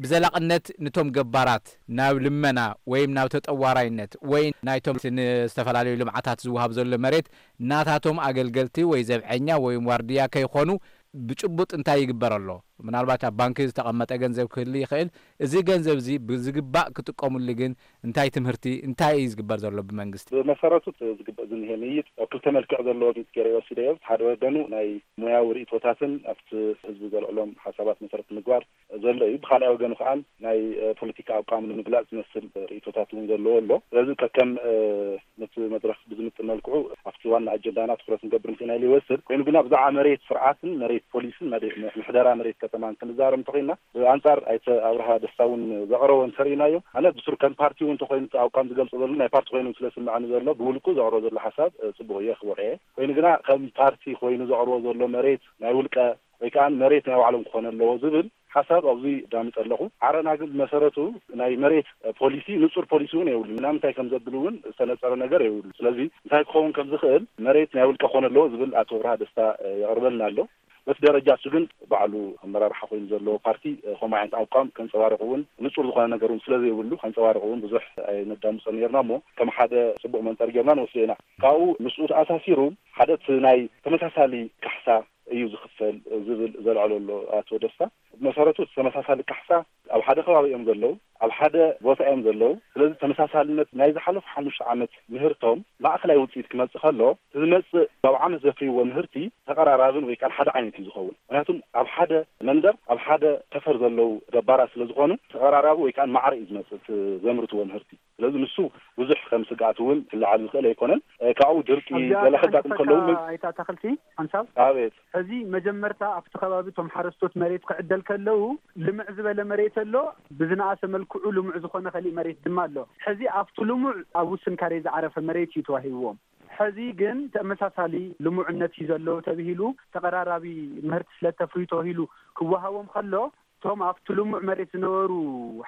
ብዘላቕነት ነቶም ገባራት ናብ ልመና ወይም ናብ ተጠዋራይነት ወይ ናይቶም ንዝተፈላለዩ ልምዓታት ዝወሃብ ዘሎ መሬት ናታቶም ኣገልገልቲ ወይ ዘብዐኛ ወይም ዋርድያ ከይኾኑ ብጭቡጥ እንታይ ይግበር ኣሎ? ምናልባት ኣብ ባንኪ ዝተቐመጠ ገንዘብ ክህሉ ይኽእል። እዚ ገንዘብ እዚ ብዝግባእ ክጥቀሙሉ ግን እንታይ ትምህርቲ፣ እንታይ እዩ ዝግበር ዘሎ ብመንግስቲ? ብመሰረቱ እቲ ዝግበር ዝኒሀ ምይይጥ ኣብ ክልተ መልክዕ ዘለዎ ምይይጥ ገይረ ወሲደዮ። ሓደ ወገኑ ናይ ሞያዊ ርእይቶታትን ኣብቲ ህዝቢ ዘልዕሎም ሓሳባት መሰረት ምግባር ዘሎ እዩ። ብኻልኣይ ወገኑ ከዓ ናይ፣ እ፣ ፖለቲካ ኣቋም ንምግላጽ ዝመስል ርእይቶታት እውን ዘለዎ ኣሎ። ስለዚ ከከም፣ እ፣ ነቲ መድረኽ ብዝምጥን መልክዑ ኣብቲ ዋና ኣጀንዳና ትኹረት ንገብር ምኽንያት ይወስድ። ኮይኑ ግና ብዛዕባ መሬት ስርዓትን መሬት ፖሊስን መሬት ምሕደራ መሬት ከተማን ክንዛረብ እንተኾይና ብኣንጻር ኣይተ ኣብርሃ ደስታ እውን ዘቕረቦ እንተርኢናዮ ኣነ ብስሩ ከም ፓርቲ እውን እንተኾይኑ እቲ ኣቋም ዝገልጾ ዘሎ ናይ ፓርቲ ኮይኑ ስለ ስምዐኒ ዘሎ ብውልቁ ዘቕርቦ ዘሎ ሓሳብ፣ እ፣ ጽቡቕ እየ ክቡር እየ። ኮይኑ ግና ከም ፓርቲ ኮይኑ ዘቕርቦ ዘሎ መሬት ናይ ውልቀ ወይ ከዓ መሬት ናይ ባዕሎም ክኾነ ኣለዎ ዝብል ሓሳብ ኣብዚ ዳምፀ ኣለኹ። ዓረና ግን ብመሰረቱ ናይ መሬት ፖሊሲ፣ ንፁር ፖሊሲ እውን የብሉ። ምናምንታይ ከም ዘብል እውን ዝተነፀረ ነገር የብሉ። ስለዚ እንታይ ክኸውን ከም ዝኽእል መሬት ናይ ውልቀ ክኾነ ኣለዎ ዝብል ኣቶ ብርሃ ደስታ የቕርበልና ኣሎ። በቲ ደረጃ እሱ ግን ባዕሉ ኣመራርሓ ኮይኑ ዘለዎ ፓርቲ ከምኡ ዓይነት ኣቋም ከንፀባርቕ እውን ንፁር ዝኾነ ነገር እውን ስለ ዘይብሉ ከንፀባርቕ እውን ብዙሕ ኣይነዳምፆ ነርና እሞ ከም ሓደ ፅቡቕ መንፀር ጌርና ንወስዶ ኢና። ካብኡ ምስኡ ተኣሳሲሩ ሓደ እቲ ናይ ተመሳሳሊ ካሕሳ እዩ ዝኽፈል ዝብል ዘልዕሎ ኣሎ ኣቶ ደስታ። ብመሰረቱ እቲ ተመሳሳሊ ካሕሳ ኣብ ሓደ ከባቢ እዮም ዘለዉ፣ ኣብ ሓደ ቦታ እዮም ዘለዉ። ስለዚ ተመሳሳልነት ናይ ዝሓለፉ ሓሙሽተ ዓመት ምህርቶም ማእኸላይ ውፅኢት ክመፅእ ከሎ፣ እቲ ዝመፅእ ኣብ ዓመት ዘፍርይዎ ምህርቲ ተቐራራብን ወይ ከዓ ሓደ ዓይነት እዩ ዝኸውን። ምክንያቱም ኣብ ሓደ መንደር፣ ኣብ ሓደ ሰፈር ዘለዉ ገባራት ስለ ዝኾኑ ተቐራራቢ ወይ ከዓ ማዕረ እዩ ዝመፅእ እቲ ዘምርትዎ ምህርቲ። ስለዚ ንሱ ብዙሕ ከም ስግኣት እውን ክለዓል ዝኽእል ኣይኮነን። እ፣ ካብኡ ድርቂ ኣብዚኣ ገለ ከጋጥም ክሓንጽጸካ ከለዉ ምን- ኣይተ ኣታኽልቲ ሓንሳብ ኣቤት። ሕዚ መጀመርታ ኣብቲ ከባቢ እቶም ሓረስቶት መሬት ክዕደል ከለዉ ልምዕ ዝበለ መሬት ኣሎ፣ ብዝነኣሰ መልክዑ ልሙዕ ዝኾነ ከሊእ መሬት ድማ ኣሎ። ሕዚ ኣብቲ ልሙዕ ኣብ ውስን ካሬ ዝዓረፈ መሬት እዩ ተዋሂብዎም። ሕዚ ግን ተመሳሳሊ ልሙዕነት እዩ ዘለዎ ተብሂሉ ተቐራራቢ ምህርቲ ስለ ተፍርዩ ተባሂሉ ክወሃቦም ከሎ እቶም ኣብቲ ልሙዕ መሬት ዝነበሩ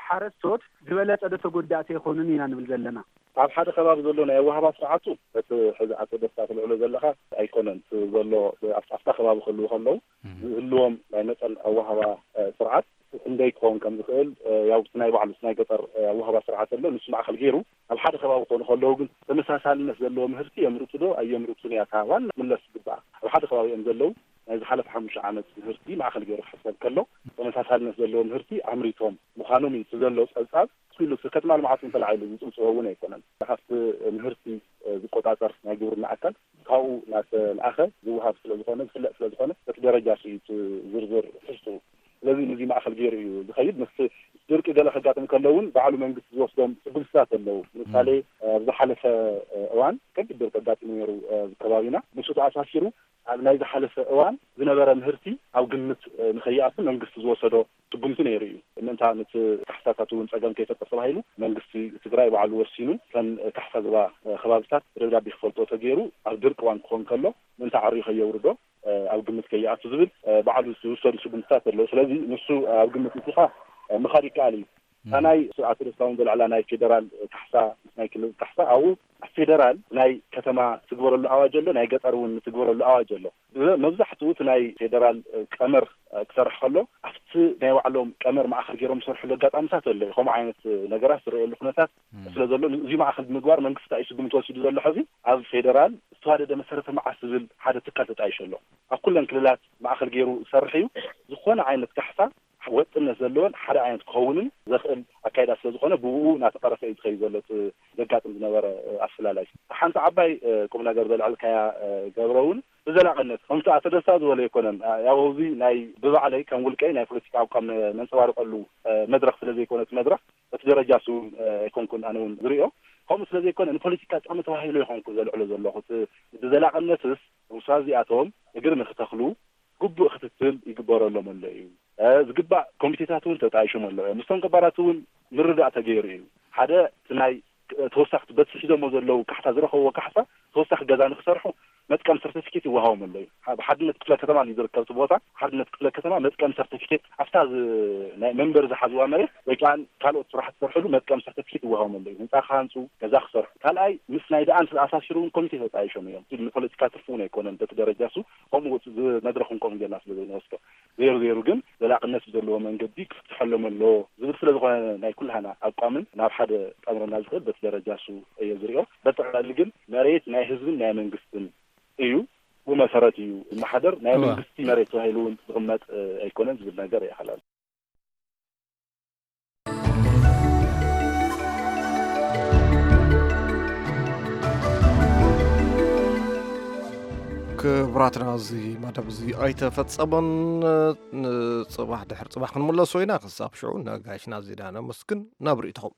ሓረስቶት ዝበለጸ ዶ ተጎዳእቲ ኣይኮኑን ኢና ንብል ዘለና። ኣብ ሓደ ከባቢ ዘሎ ናይ ኣወሃባ ስርዓቱ እቲ ሕዚ ኣቶ ደስታ ትልዕሎ ዘለኻ ኣይኮነን። እቲ ዘሎ ኣብቲ ኣብታ ከባቢ ክህልዉ ከለዉ ዝህልዎም ናይ መጠን ኣወሃባ፣ እ፣ ስርዓት ክንደይ ክኸውን ከም ዝኽእል፣ እ፣ ያው እቲ ናይ ባዕሉ እቲ ናይ ገጠር፣ እ፣ ኣወሃባ ስርዓት ኣሎ። ንሱ ማእከል ገይሩ ኣብ ሓደ ከባቢ ክኾኑ ከለዉ ግን ተመሳሳልነት ዘለዎ ምህርቲ የምርቱ ዶ ኣየምርቱን እያ እታ ዋና ምለስ ዝግባኣ። ኣብ ሓደ ከባቢ እዮም ዘለዉ። ናይ ዝሓለፈ ሓሙሽተ ዓመት ምህርቲ ማእከል ገይሩ ክሕሰብ ከሎ ተመሳሳልነት ዘለዎ ምህርቲ ኣምሪቶም ምዃኖም እዩ እቲ ዘሎ ጸብጻብ። ኩሉ እቲ ከተማ ልምዓት እውን ተላዒሉ ዝጽብጽቦ እውን ኣይኮነን። ሃፍቲ ምህርቲ ዝቆጻጸር ናይ ግብርና ኣካል ካብኡ እናተልኣኸ ዝወሃብ ስለ ዝኾነ፣ ዝፍለጥ ስለ ዝኾነ፣ በቲ ደረጃ እሱ እዩ እቲ ዝርዝር ትሕዝትኡ። ስለዚ ነዚ ማእከል ገይሩ እዩ ዝኸይድ። ምስቲ ድርቂ ገለ ከጋጥም ከሎ እውን ባዕሉ መንግስቲ ዝወስዶም ስጉምትታት ኣለዉ። ንምሳሌ፣ ኣብ ዝሓለፈ እዋን ከቢድ ድርቂ ኣጋጢሙ ነይሩ ኣብዚ ከባቢና። ንሱ ተኣሳሲሩ ኣብ ናይ ዝሓለፈ እዋን ዝነበረ ምህርቲ ኣብ ግምት፣ እ፣ ንኸይኣቱ መንግስቲ ዝወሰዶ ስጉምቲ ነይሩ እዩ። ምእንታ ነቲ ካሕሳታት እውን ጸገም ከይፈጥር ተባሂሉ መንግስቲ ትግራይ ባዕሉ ወሲኑ ከም ካሕሳ ዞባ፣ እ፣ ከባብታት ብደብዳቤ ክፈልጦ ተገይሩ ኣብ ድርቂ እዋን ክኾን ከሎ ምእንታ ዓርዩ ከየውርዶ፣ እ፣ ኣብ ግምት ከይኣቱ ዝብል፣ እ፣ ባዕሉ ዝውሰዱ ስጉምትታት ኣለዉ። ስለዚ ንሱ ኣብ ግምት ምእቲኻ፣ እ፣ ምኻድ ይከኣል እዩ። እታ ናይ ኣቶ ደስታ እውን ዘልዕላ ናይ ፌደራል ካሕሳ ምስ ናይ ክልል ካሕሳ ኣብኡ ኣብ ፌደራል ናይ ከተማ ትግበረሉ ኣዋጅ ኣሎ፣ ናይ ገጠር እውን ትግበረሉ ኣዋጅ ኣሎ። መብዛሕትኡ እቲ ናይ ፌደራል ቀመር ክሰርሕ ከሎ ኣብቲ ናይ ባዕሎም ቀመር ማእኸል ገይሮም ዝሰርሕሉ ኣጋጣሚታት ኣሎ። ከምኡ ዓይነት ነገራት ዝረኣየሉ ኩነታት እም። ስለ ዘሎ እዚ ማእኸል ብምግባር መንግስቲ እንታይ እዩ ስጉምቲ ወሲዱ ዘሎ? ሕዚ ኣብ ፌደራል ዝተዋደደ መሰረተ ልምዓት ዝብል ሓደ ትካል ተጣይሹ ኣሎ። ኣብ ኩለን ክልላት ማእኸል ገይሩ ዝሰርሕ እዩ። ዝኾነ ዓይነት ካሕሳ ወጥነት ዘለዎን ሓደ ዓይነት ክኸውንን ዘኽእል ኣካይዳ ስለ ዝኾነ ብኡ እናተቐረፈ እዩ ዝኸይድ ዘሎ እቲ ዘጋጥም ዝነበረ ኣፈላላይ። ሓንቲ ዓባይ ቁም ነገር ዘልዐልካያ ገብረ እውን ብዘላቕነት ከምቲ ኣቶ ደስታ ዝበሎ ኣይኮነን። ያው እዚ ናይ ብባዕለይ ከም ውልቀይ ናይ ፖለቲካ ኣቋም ነንፀባርቀሉ መድረኽ ስለ ዘይኮነ እቲ መድረኽ በቲ ደረጃ እሱ እውን ኣይኮንኩን ኣነ እውን ዝሪኦ። ከምኡ ስለ ዘይኮነ ንፖለቲካ ጥቕሚ ተባሂሉ ይኾንኩ ዘልዕሎ ዘለኹ። እቲ ብዘላቕነትስ ውሳነ እዚኣቶም እግሪ ንክተኽሉ ግቡእ ክትትል ይግበረሎም ኣሎ እዩ። ዝግባእ ኮሚቴታት እውን ተጣይሾም ኣለዉ እዮም። ምስቶም ገባራት እውን ምርዳእ ተገይሩ እዩ። ሓደ እቲ ናይ ተወሳኺ በቲ ሒዞሞ ዘለዉ ካሕሳ ዝረኸብዎ ካሕሳ ተወሳኺ ገዛ ንክሰርሑ መጥቀም ሰርቲፊኬት ይወሃቦም ኣሎ እዩ። ብሓድነት ክፍለ ከተማ እዩ ዝርከብ እቲ ቦታ። ሓድነት ክፍለ ከተማ መጥቀም ሰርቲፊኬት ኣብታ ናይ መንበሪ ዝሓዝዋ መሬት ወይ ከዓ ካልኦት ስራሕ ዝሰርሕሉ መጥቀም ሰርቲፊኬት ይወሃቦም ኣሎ እዩ። ህንፃ ክሃንፁ፣ ገዛ ክሰርሑ። ካልኣይ ምስ ናይ ደኣን ተኣሳሲሩ እውን ኮሚቴ ተጣይሾም እዮም። ንፖለቲካ ትርፊ እውን ኣይኮነን በቲ ደረጃ እሱ ከምኡ መድረኽ እውን ከምኡ ጌርና ስለ ዘይንወስዶ። ዘይሩ ዘይሩ ግን ዘላቕነት ብዘለዎ መንገዲ ክፍትሐሎም ኣለዎ ዝብል ስለ ዝኾነ ናይ ኩልሃና ኣቋምን ናብ ሓደ ጣምረና ዝኽእል በቲ ደረጃ እሱ እየ ዝሪኦ። በጠቕላሊ ግን መሬት ናይ ህዝብን ናይ መንግስትን እዩ። ብመሰረት እዩ ዝመሓደር። ናይ መንግስቲ መሬት ተባሂሉ እውን ዝቕመጥ ኣይኮነን ዝብል ነገር ይሓላል። ክቡራትና፣ እዚ መደብ እዚ ኣይተፈጸመን። ንጽባሕ ድሕሪ ጽባሕ ክንምለሶ ኢና። ክሳብ ሽዑ ነጋሽና ዚዳ ነመስግን። ናብ ርእይቶኹም።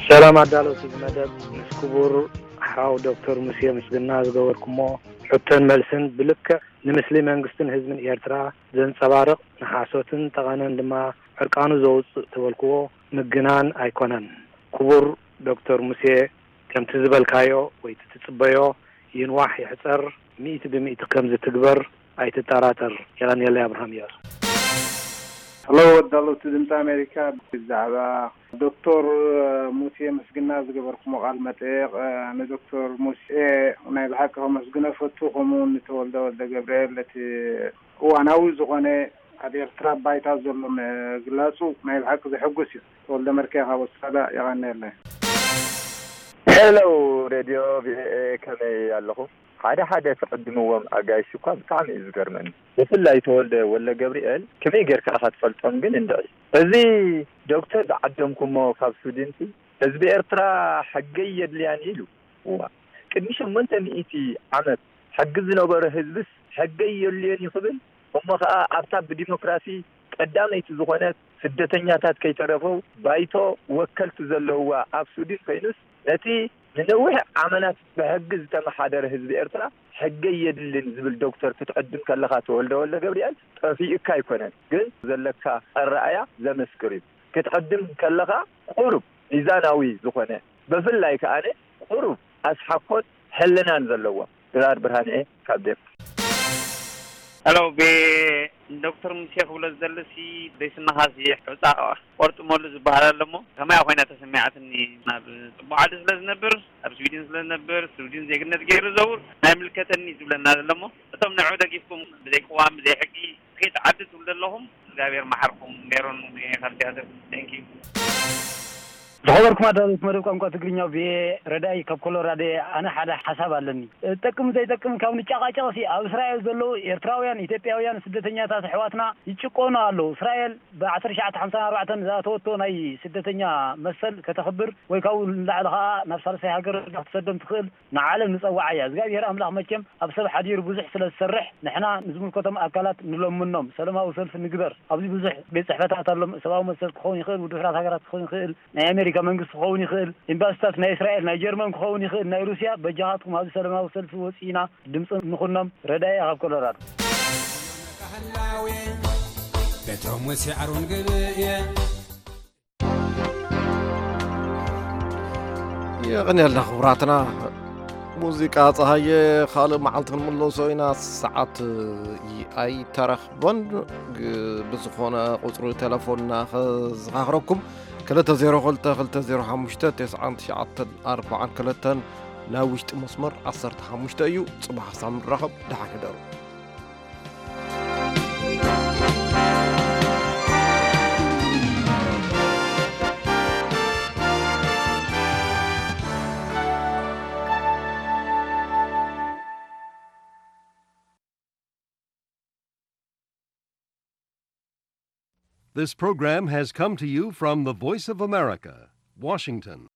ሰላም ኣዳለውቲ እዚ መደብ፣ ምስ ክቡር ሓው ዶክተር ሙሴ ምስግና ዝገበርኩሞ ሕቶን መልስን ብልክዕ ንምስሊ መንግስትን ህዝብን ኤርትራ ዘንጸባርቕ፣ ንሓሶትን ጠቐነን ድማ ዕርቃኑ ዘውጽእ ተበልክዎ ምግናን ኣይኮነን። ክቡር ዶክተር ሙሴ፣ ከምቲ ዝበልካዮ ወይ እቲ ትጽበዮ ይንዋሕ ይሕጸር፣ ሚእቲ ብሚእቲ ከም ዝትግበር ኣይትጠራጠር። የቐንየለይ። ኣብርሃም እያሱ። ሄሎ፣ ኣዳለውቲ ድምፂ ኣሜሪካ፣ ብዛዕባ ዶክተር ሙሴ ምስግና ዝገበርኩሞ ቃለ መጠይቕ፣ ንዶክተር ሙሴ ናይ ብሓቂ ከመስግኖ እፈቱ፣ ከምኡ እውን ንተወልደ ወልደ ገብርኤል እቲ እዋናዊ ዝኾነ ኣብ ኤርትራ ባይታ ዘሎ ምግላጹ ናይ ብሓቂ ዘሐጉስ እዩ። ተወልደ መርኬ ካብ ኣውስትራልያ፣ የቐንየለይ። ሄሎ ሬድዮ ቪኦኤ፣ ከመይ ኣለኹም? ሓደ ሓደ ትዕድምዎም ኣጋይሽ እኳ ብጣዕሚ እዩ ዝገርመኒ። ብፍላይ ተወልደ ወልደ ገብርኤል ከመይ ጌርካ ኢኻ ትፈልጦም ግን እንድዒ። እዚ ዶክተር ዝዓደምኩሞ ካብ ስዊድንሲ ህዝቢ ኤርትራ ሕገይ የድልያን ኢሉ። እዋ ቅድሚ ሸሞንተ ሚእቲ ዓመት ሕጊ ዝነበሮ ህዝብስ ሕገይ የድልዮን እዩ ክብል እሞ ኸኣ ኣብታ ብዲሞክራሲ ቀዳመይቲ ዝኾነት ስደተኛታት ከይተረፈው ባይቶ ወከልቲ ዘለውዋ ኣብ ስዊድን ኮይኑስ ነቲ ንነዊሕ ዓመናት ብሕጊ ዝተመሓደረ ህዝቢ ኤርትራ ሕገይ የድልን ዝብል ዶክተር ክትዕድም ከለኻ ተወልደ ወልደ ገብርኤል ጠፊኡካ ኣይኮነን ግን ዘለካ ኣረኣያ ዘመስክር እዩ ክትዕድም ከለኻ ቁሩብ ሚዛናዊ ዝኾነ ብፍላይ ከኣ ቁሩብ ኣስሓኮን ሕልናን ዘለዎም ድራር ብርሃንኤ ካብ ዴንማርክ። ሄሎ ቤ ዶክተር ሙሴ ክብሎ ዝደልሲ ደይስንኻሲ ሑፃ ቆርጥመሉ ዝበሃል ኣሎ እሞ ከመያ ኮይና ተሰሚዓትኒ ናብ ፅቡቅ ዓዲ ስለ ዝነብር ኣብ ስዊድን ስለ ዝነብር ስዊድን ዜግነት ገይሩ ዘውር ናይ ምልከተኒ ዝብለና ዘሎ እሞ እቶም ንዑ ደጊፍኩም ብዘይ ቅዋም ብዘይ ሕጊ ከይትዓዲ ትብሉ ዘለኹም እግዚኣብሔር መሓርኩም ሜሮን ሙሴ ካብ ቲያትር thank you ዝኸበርኩም ኣዳለውቲ መደብ ቋንቋ ትግርኛ ቪኦኤ ረዳኢ ካብ ኮሎራዶ እየ ኣነ ሓደ ሓሳብ ኣለኒ ጠቅም ዘይጠቅም ካብ ንጨቃጨቅሲ ኣብ እስራኤል ዘለዉ ኤርትራውያን ኢትዮጵያውያን ስደተኛታት ኣሕዋትና ይጭቆኑ ኣለዉ እስራኤል ብ ዓሰርተ ትሽዓተ ሓምሳን ኣርባዕተን ዝኣተወቶ ናይ ስደተኛ መሰል ከተኽብር ወይ ካብኡ ንላዕሊ ከኣ ናብ ሳልሳይ ሃገር ክትሰዶም ትኽእል ንዓለም ንጸውዓ እያ እግዚኣብሔር ኣምላኽ መቸም ኣብ ሰብ ሓዲሩ ብዙሕ ስለ ዝሰርሕ ንሕና ንዝምልከቶም ኣካላት ንለምኖም ሰለማዊ ሰልፊ ንግበር ኣብዚ ብዙሕ ቤት ጽሕፈታት ኣሎ ሰብኣዊ መሰል ክኸውን ይኽእል ውድብ ሕራት ሃገራት ክኸውን ይኽእል ናይ ኣሜሪካ መንግስቲ ክኸውን ይኽእል ኤምባስታት ናይ እስራኤል ናይ ጀርመን ክኸውን ይኽእል ናይ ሩስያ በጃኻትኩም ኣብዚ ሰለማዊ ሰልፊ ወፂእና ድምፂ ንኹኖም ረዳኢ ካብ ኮሎራዶ በቶም ወሲዓሮን ገብየ የቐንየልና ክቡራትና ሙዚቃ ፀሃየ ካልእ መዓልቲ ክንምለሶ ኢና ሰዓት ኣይተረኽበን ብዝኾነ ቁፅሪ ቴሌፎንና ከዘኻኽረኩም ክልተ ዜሮ ክልተ ክልተ ዜሮ ሓሙሽተ ተስዓን ትሽዓተን ኣርባዓን ክልተን ናይ ውሽጢ መስመር ዓሰርተ ሓሙሽተ እዩ ፅባሕ ሳምንት ራኸብ ደሓን ሕደሩ This program has come to you from the Voice of America, Washington.